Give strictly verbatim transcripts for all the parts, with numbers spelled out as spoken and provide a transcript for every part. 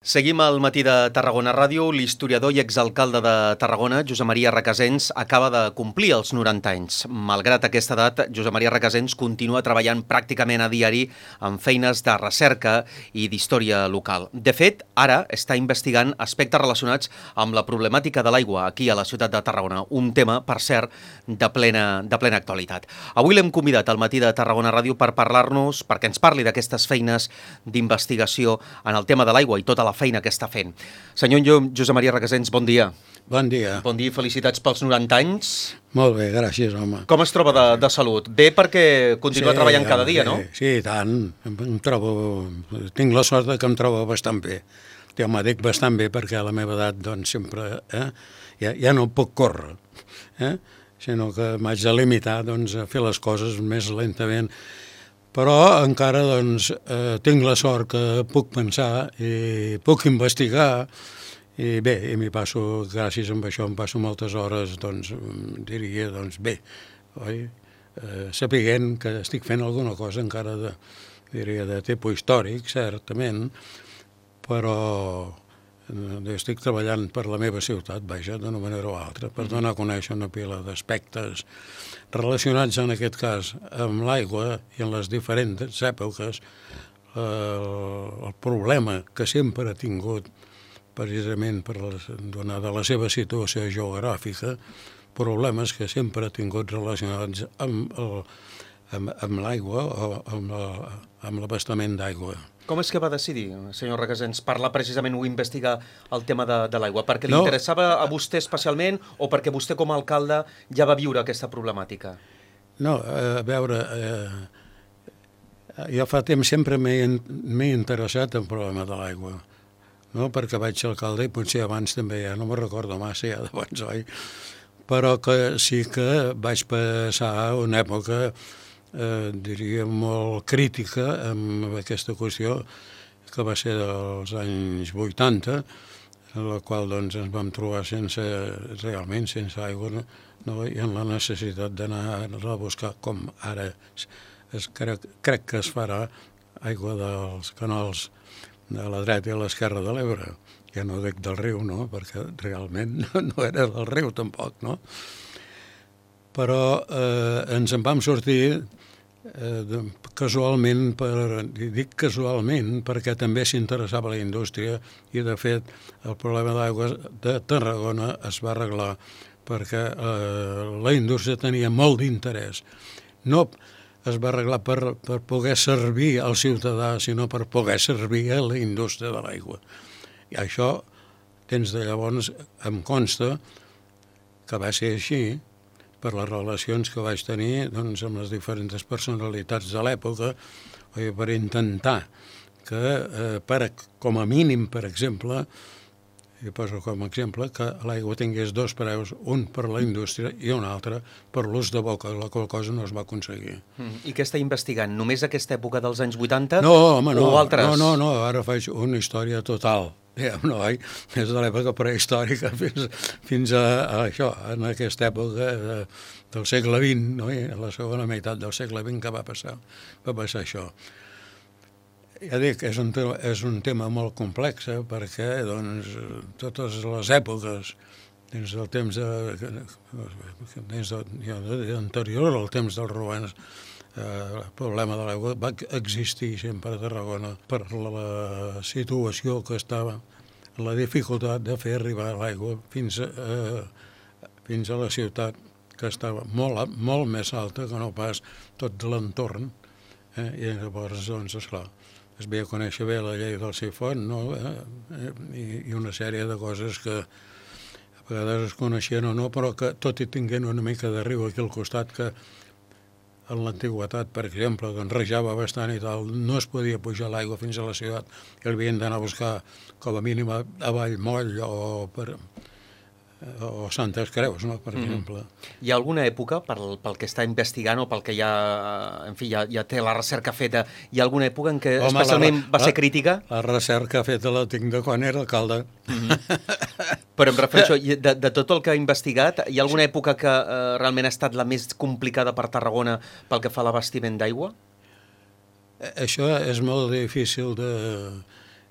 Seguim al Matí de Tarragona Ràdio. L'historiador i exalcalde de Tarragona, Josep Maria Recasens, acaba de complir els noranta anys. Malgrat aquesta edat, Josep Maria Recasens continua treballant pràcticament a diari en feines de recerca i d'història local. De fet, ara està investigant aspectes relacionats amb la problemàtica de l'aigua aquí a la ciutat de Tarragona, un tema, per cert, de plena, de plena actualitat. Avui l'hem convidat al Matí de Tarragona Ràdio per parlar-nos, perquè ens parli d'aquestes feines d'investigació en el tema de l'aigua i tota la la feina que està fent. Senyor Josep Maria Recasens, bon dia. Bon dia. Bon dia i felicitats pels noranta anys. Molt bé, gràcies, home. Com es troba de, de salut? Bé perquè continua sí, treballant cada dia, no? Sí, sí, tant. Em, em trobo... Tinc la sort que em trobo bastant bé. Jo m'ho dic bastant bé perquè a la meva edat doncs, sempre eh, ja, ja no puc córrer, eh? Sinó que m'haig de limitar doncs, a fer les coses més lentament. Però encara doncs, eh, tinc la sort que puc pensar i puc investigar i bé, i m'hi passo, gràcies a això, em passo moltes hores, doncs, diria, doncs bé, oi? Eh, sapiguent que estic fent alguna cosa encara de, diria, de tipus històric, certament, però eh, estic treballant per la meva ciutat, vaja, d'una manera o altra, per donar a conèixer una pila d'aspectes relacionats en aquest cas amb l'aigua i en les diferents èpoques, eh, el problema que sempre ha tingut precisament per la, donada la seva situació geogràfica, problemes que sempre ha tingut relacionats amb, el, amb, amb l'aigua o amb, la, amb l'abastament d'aigua. Com és que va decidir, senyor Recasens, parlar precisament o investigar el tema de, de l'aigua? Perquè li no. interessava a vostè especialment o perquè vostè com a alcalde ja va viure aquesta problemàtica? No, a veure, eh, jo fa temps sempre m'he interessat en el problema de l'aigua, no? Perquè vaig ser alcalde i potser abans també, ja no me'n recordo massa ja d'abans, oi? Però que sí que vaig passar una època Eh, diria molt crítica amb aquesta qüestió que va ser dels anys vuitanta, en la qual doncs, ens vam trobar sense, realment sense aigua, no? No? I en la necessitat d'anar a buscar, com ara es, crec, crec que es farà, aigua dels canals de la dreta i l'esquerra de l'Ebre. Ja no dic del riu, no? Perquè realment no, no era del riu tampoc, no? Però eh, ens en vam sortir eh, casualment, per, dic casualment perquè també s'interessava la indústria i de fet el problema d'aigua de Tarragona es va arreglar perquè eh, la indústria tenia molt d'interès. No es va arreglar per, per poder servir al ciutadà, sinó per poder servir a la indústria de l'aigua. I això, des de llavors, em consta que va ser així, per les relacions que vaig tenir doncs, amb les diferents personalitats de l'època, per intentar que, eh, per, com a mínim, per exemple, i poso com a exemple, que l'aigua tingués dos preus, un per la indústria i un altre per l'ús de boca, la qual cosa no es va aconseguir. Mm. I què està investigant? Només aquesta època dels anys vuitanta? No, home, no, o altres? no, no, no, ara faig una història total. No, oi? Des de l'època prehistòrica fins, fins a, a això, en aquesta època de, del segle vint, no? A la segona meitat del segle vint que va passar, va passar això. Ja dic, és un, és un tema molt complex, eh, perquè doncs, totes les èpoques, dins del temps de, dins de, ja, anterior al temps dels romans, Eh, el problema de l'aigua va existir sempre a Tarragona per la situació que estava, la dificultat de fer arribar l'aigua fins, a, fins a la ciutat, que estava molt, molt més alta que no pas tot l'entorn. Eh? I llavors, doncs, esclar, es veia conèixer bé la llei del sifon, no? eh? I, i una sèrie de coses que a vegades es coneixien o no, però que tot i tinguent una mica de riu aquí al costat, que en l'antiguitat, per exemple, doncs rejava bastant i tal, no es podia pujar l'aigua fins a la ciutat, que l'havien d'anar a buscar com a mínim a Vallmoll o, per, o Santes Creus, no? Per exemple. Mm-hmm. Hi ha alguna època, pel, pel que està investigant o pel que ja, en fi, ja, ja té la recerca feta, hi ha alguna època en què Home, especialment la, va ser crítica? La, la recerca feta la tinc de quan era alcalde. Mm-hmm. Però em refereixo, de, de tot el que ha investigat, hi ha alguna època que eh, realment ha estat la més complicada per Tarragona pel que fa a l'abastiment d'aigua? Això és molt difícil de...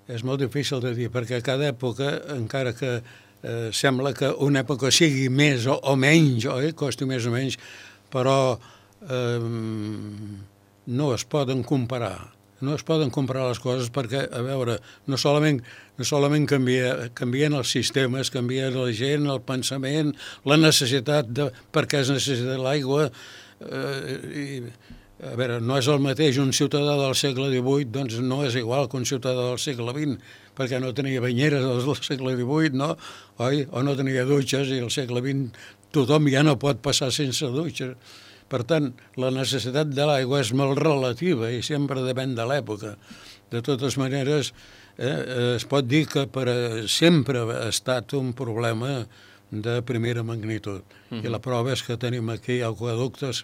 és molt difícil de dir, perquè cada època, encara que eh, sembla que una època sigui més o, o menys, oi? Costi més o menys, però eh, no es poden comparar. No es poden comparar les coses perquè, a veure, no solament, no solament canvia, canvien els sistemes, canvien la gent, el pensament, la necessitat de per què es necessita l'aigua. Eh, i, a veure, no és el mateix un ciutadà del segle divuit, doncs no és igual que un ciutadà del segle vint, perquè no tenia banyeres del segle divuit, no? Oi? O no tenia dutxes, i al segle vint tothom ja no pot passar sense dutxes. Per tant, la necessitat de l'aigua és molt relativa i sempre depèn de l'època. De totes maneres, eh, es pot dir que per sempre ha estat un problema de primera magnitud. Mm-hmm. I la prova és que tenim aquí aqüeductes,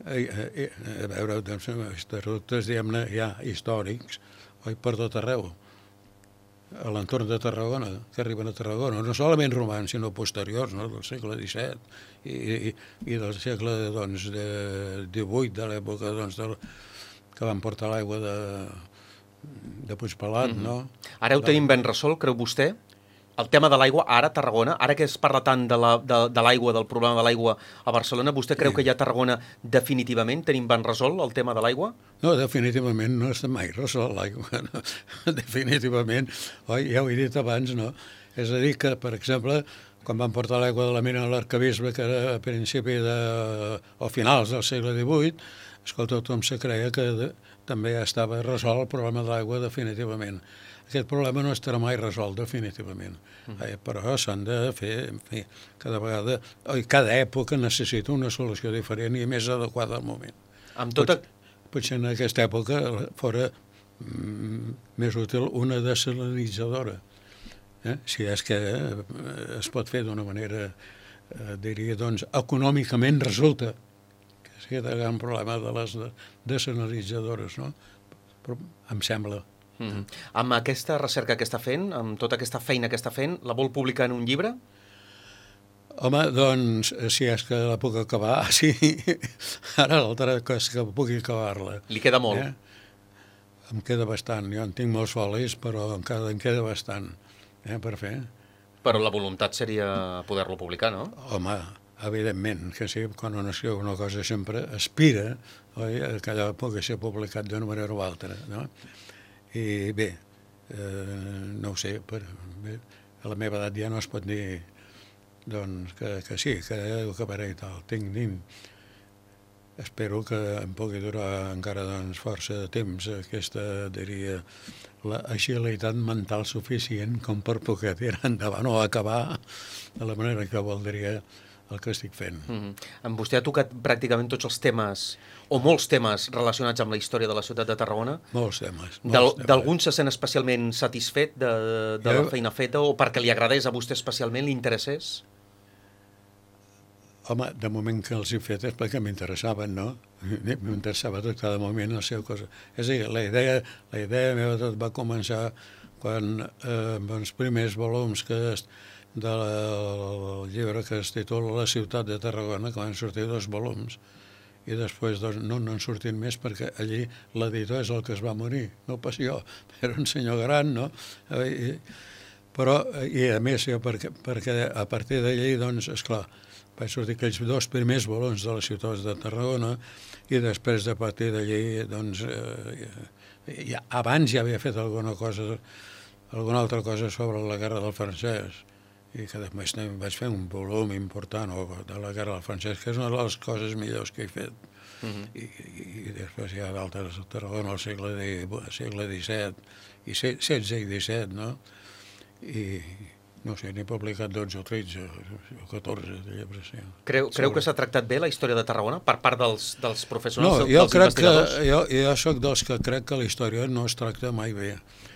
eh, eh, a veure, doncs, aqüeductes, diguem-ne, ja històrics, oi, per tot arreu, a l'entorn de Tarragona, que arriben a Tarragona, no solament romans, sinó posteriors, no? Del segle disset i, i, i del segle doncs, de divuit, de l'època doncs, del, que van portar l'aigua de, de Puigpelat, mm-hmm. no? Ara ho tenim ben resolt, creu vostè? El tema de l'aigua, ara a Tarragona, ara que es parla tant de l'aigua, la, de, de l'aigua, del problema de l'aigua a Barcelona, vostè creu sí. que ja a Tarragona definitivament tenim ben resolt el tema de l'aigua? No, definitivament no està mai resolt l'aigua, no? Definitivament, oi, ja ho he dit abans, no? És a dir que, per exemple, quan van portar l'aigua de la mina a l'Arcabisbe, que era a principi de, o finals del segle divuit, escolta, tothom se creia que de, també ja estava resolt el problema de l'aigua definitivament. Aquest problema no estarà mai resolt definitivament, mm. eh, però s'han de fer, en fi, cada vegada, oi, cada època necessita una solució diferent i més adequada al moment. Amb tota... Potser, potser en aquesta època fora mm, més útil una desalinitzadora, eh? Si és que eh, es pot fer d'una manera, eh, diria, doncs, econòmicament resulta que és aquest el gran problema de les desalinitzadores, no? Però em sembla... Mm-hmm. Amb aquesta recerca que està fent, amb tota aquesta feina que està fent, la vol publicar en un llibre? Home, doncs, si és que la puc acabar, sí. Ara l'altra cosa que pugui acabar-la. Li queda molt? Eh? Em queda bastant. Jo en tinc molts folis, però encara em queda bastant eh, per fer. Però la voluntat seria poder-lo publicar, no? Home, evidentment, que sí, quan un escriu una cosa sempre aspira, oi, que allò pugui ser publicat d'una manera o altra, no? I bé, eh, no ho sé, per, bé, a la meva edat ja no es pot dir doncs, que, que sí, que ho acabaré i tal. Tinc, tinc, espero que em pugui durar encara doncs, força de temps aquesta, diria, la agilitat mental suficient com per poder tirar endavant o acabar de la manera que voldria el que estic fent. Mm-hmm. Vostè ha tocat pràcticament tots els temes, o molts temes relacionats amb la història de la ciutat de Tarragona. Molts temes. D'algun se sent especialment satisfet de, de jo... la feina feta, o perquè li agradés a vostè especialment, li interessés? Home, de moment que els he fet és perquè m'interessaven, no? M'interessava tot cada moment la seva cosa. És a dir, la idea, la idea meva tot va començar quan eh, els primers volums que es, del llibre que es titula La ciutat de Tarragona, que van sortir dos volums, i després doncs, no n'han sortit més perquè allí l'editor és el que es va morir, no pas jo, era un senyor gran, no? I, però, i a més, jo, perquè, perquè a partir d'allí, doncs, esclar, vaig sortir aquells dos primers volums de la ciutat de Tarragona i després de partir d'allí, doncs, eh, ja, abans ja havia fet alguna cosa, alguna altra cosa sobre la guerra del francès, i que després vaig fer un volum important de la guerra del francès, que és una de les coses millors que he fet. Uh-huh. I, i, I després hi ha d'altres, Tarragona al segle, segle disset, i setze i disset, no? I no sé, n'he publicat dotze o tretze o catorze de llibres. Sí. Creu, creu que s'ha tractat bé la història de Tarragona per part dels, dels professionals, no, dels jo crec investigadors? Que, jo, jo soc dels que crec que la història no es tracta mai bé.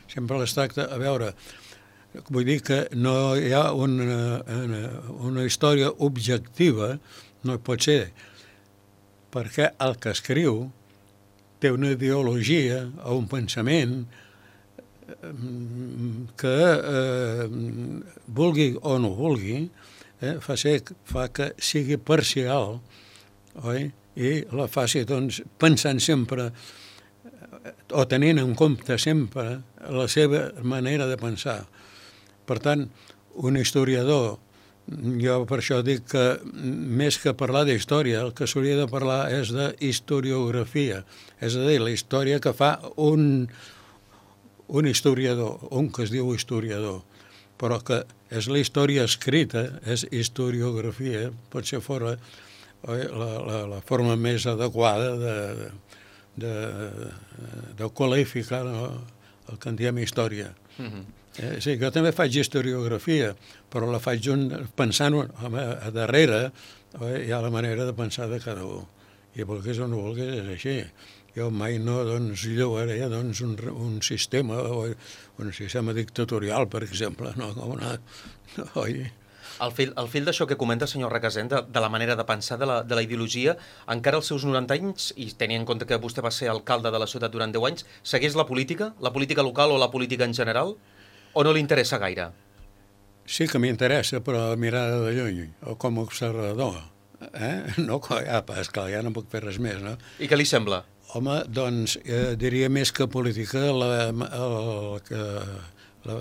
Sempre es tracta, a veure, vull dir que no hi ha una, una, una història objectiva, no hi pot ser, perquè el que escriu té una ideologia o un pensament que, eh, vulgui o no vulgui, eh, fa, ser, fa que sigui parcial, oi? I la faci doncs, pensant sempre o tenint en compte sempre la seva manera de pensar. Per tant, un historiador, jo per això dic que més que parlar d'història, el que s'hauria de parlar és de historiografia, és a dir, la història que fa un, un historiador, un que es diu historiador, però que és la història escrita, és historiografia, potser fora la, la, la forma més adequada de, de, de qualificar, no, el que en diem història. Mm-hmm. Eh, sí, jo també faig historiografia, però la faig un, pensant home, a darrere, eh, hi ha la manera de pensar de cada un. I volgués o no volgués, és així. Jo mai no doncs, llogaré doncs, un, un sistema, o un sistema dictatorial, per exemple. No, com una... Oi? El fil, el fil d'això que comenta, senyor Recasens, de, de la manera de pensar, de la, de la ideologia, encara als seus noranta anys, i tenint en compte que vostè va ser alcalde de la ciutat durant deu anys, segueix la política, la política local o la política en general? O no li interessa gaire? Sí que m'interessa, però mirada de lluny, o com a observador. Eh? No, ja, esclar, ja no puc fer res més, no? I què li sembla? Home, doncs, eh, diria més que política, la, el, que, la,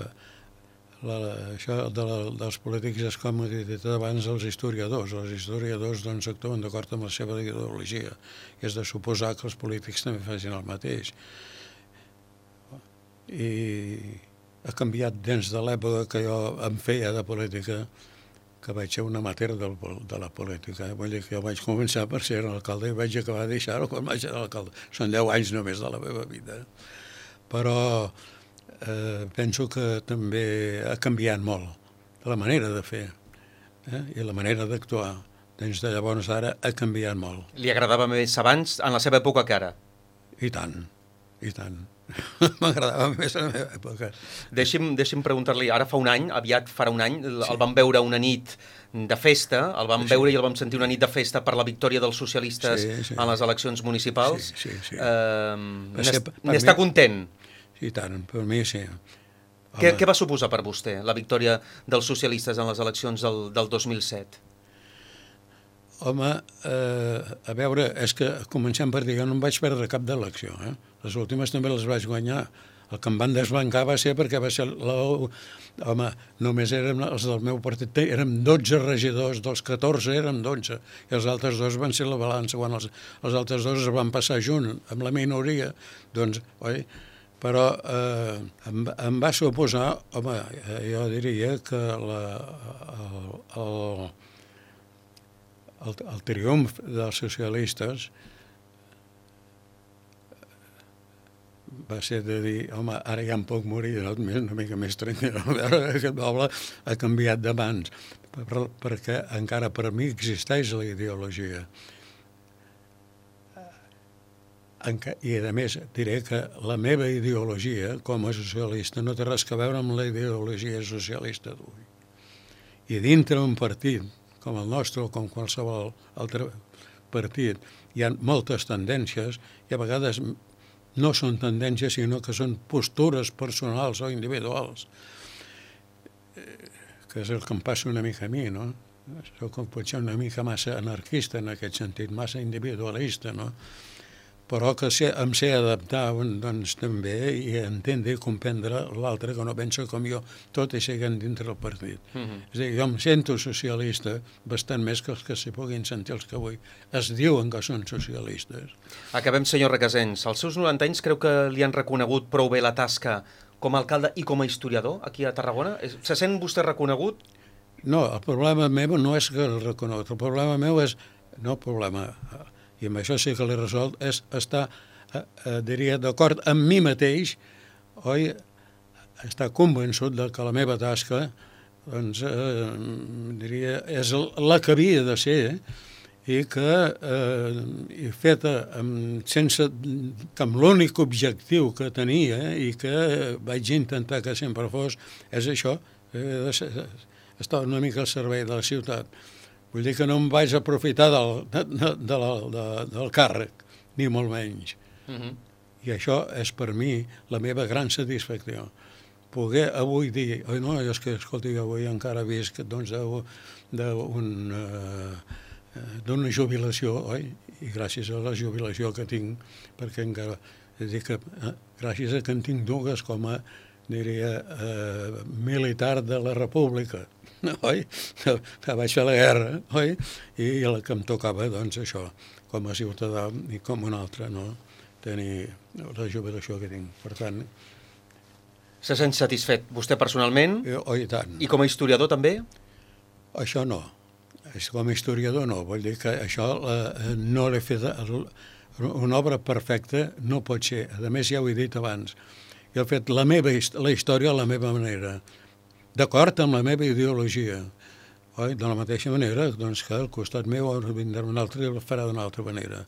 la, això de la, dels polítics és com he dit abans els historiadors. Els historiadors doncs, actuen d'acord amb la seva ideologia i és de suposar que els polítics també facin el mateix. I ha canviat des de l'època que jo em feia de política, que vaig ser un amateur de, de la política. Vull dir que jo vaig començar per ser alcalde i vaig acabar de deixar-ho quan vaig ser alcalde. Són deu anys només de la meva vida. Però eh, penso que també ha canviat molt la manera de fer, eh? I la manera d'actuar. Des de llavors ara ha canviat molt. Li agradava més abans, en la seva època, que ara? I tant, i tant. M'agradava més a la meva època. Deixi'm, deixi'm preguntar-li, ara fa un any, aviat farà un any, el sí. vam veure una nit de festa, el vam sí. veure i el vam sentir una nit de festa per la victòria dels socialistes sí, sí. en les eleccions municipals. Sí, sí, sí. Uh, N'està content? Sí, tant, per mi sí. Què, què va suposar per vostè la victòria dels socialistes en les eleccions del, del dos mil set? Home, eh, a veure, és que comencem per dir, jo no em vaig perdre cap d'elecció, eh? Les últimes també les vaig guanyar. El que em van desbancar va ser perquè va ser la... Home, només érem els del meu partit, érem dotze regidors, dels catorze érem dotze, i els altres dos van ser la balança. Quan els, els altres dos es van passar junt amb la minoria, doncs, oi? Però eh, em, em va suposar, home, jo diria que la, el, el, el, el triomf dels socialistes va ser de dir, home, ara ja em puc morir, no? Una mica més tranquil. A veure, aquest poble ha canviat de mans, per, perquè encara per mi existeix la ideologia. I, a més, diré que la meva ideologia, com a socialista, no té res a veure amb la ideologia socialista d'avui. I dintre un partit, com el nostre o com qualsevol altre partit, hi ha moltes tendències i a vegades no són tendències, sinó que són postures personals o individuals, que és el que em passa una mica a mi, no? Soc potser una mica massa anarquista en aquest sentit, massa individualista, no? Però que sé, em sé adaptar doncs, també i entendre i comprendre l'altre que no pensa com jo, tot i seguint dintre del partit. Mm-hmm. És a dir, jo em sento socialista bastant més que els que s'hi puguin sentir els que avui es diuen que són socialistes. Acabem, senyor Recasens. Als seus noranta anys creu que li han reconegut prou bé la tasca com a alcalde i com a historiador aquí a Tarragona? Se sent vostè reconegut? No, el problema meu no és que el reconegut, el problema meu és... No el problema... i amb això sí que l'he resolt, és estar, eh, eh, diria, d'acord amb mi mateix, oi, estar convençut de que la meva tasca, doncs, eh, diria, és la que havia de ser, i que, eh, feta amb, sense, amb l'únic objectiu que tenia i que vaig intentar que sempre fos, és això, eh, de, estar una mica al servei de la ciutat. Vull dir que no em vaig aprofitar del, de, de la, de, del càrrec, ni molt menys. Uh-huh. I això és per mi la meva gran satisfacció. Poder avui dir, oi no, és que, escolti, avui encara visc doncs, d'una uh, jubilació, oi? I gràcies a la jubilació que tinc, perquè encara És a dir, que eh, gràcies a que en tinc dues com a, diria, eh, militar de la república, oi? Que, que vaig fer la guerra, oi? I la que em tocava, doncs, això, com a ciutadà i com un altre, no? Tenir la jubilació que tinc. Per tant... Se sent satisfet vostè personalment? Eh, oh, i tant. I com a historiador també? Això no. Com a historiador no. Vull dir que això eh, no l'he fet... Una obra perfecta no pot ser. A més, ja ho he dit abans. Jo he fet la meva la història a la meva manera, d'acord amb la meva ideologia. Oi? De la mateixa manera doncs, que al costat meu vindrà un altre i el farà d'una altra manera.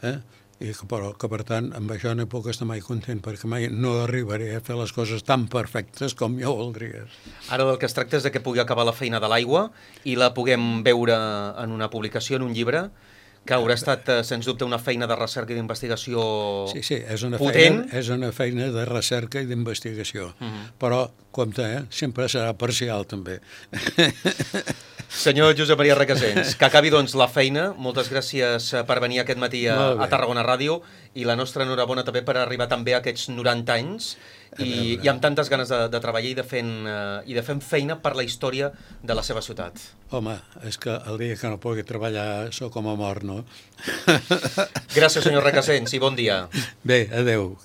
Eh? I que, però que, per tant, amb això no puc estar mai content, perquè mai no arribaré a fer les coses tan perfectes com jo voldria. Ara del que es tracta és de que pugui acabar la feina de l'aigua i la puguem veure en una publicació, en un llibre, que haurà estat, sens dubte, una feina de recerca i d'investigació sí, sí, és una potent. Feina, és una feina de recerca i d'investigació. Uh -huh. Però, compte, eh? Sempre serà parcial, també. Senyor Josep Maria Recasens, que acabi doncs la feina. Moltes gràcies per venir aquest matí a, a Tarragona Ràdio i la nostra enhorabona també per arribar també a aquests noranta anys i, i amb tantes ganes de, de treballar i de, fent, uh, i de fent feina per la història de la seva ciutat. Home, és que el dia que no pugui treballar sóc com a mort, no? Gràcies, senyor Recasens, i bon dia. Bé, adeu.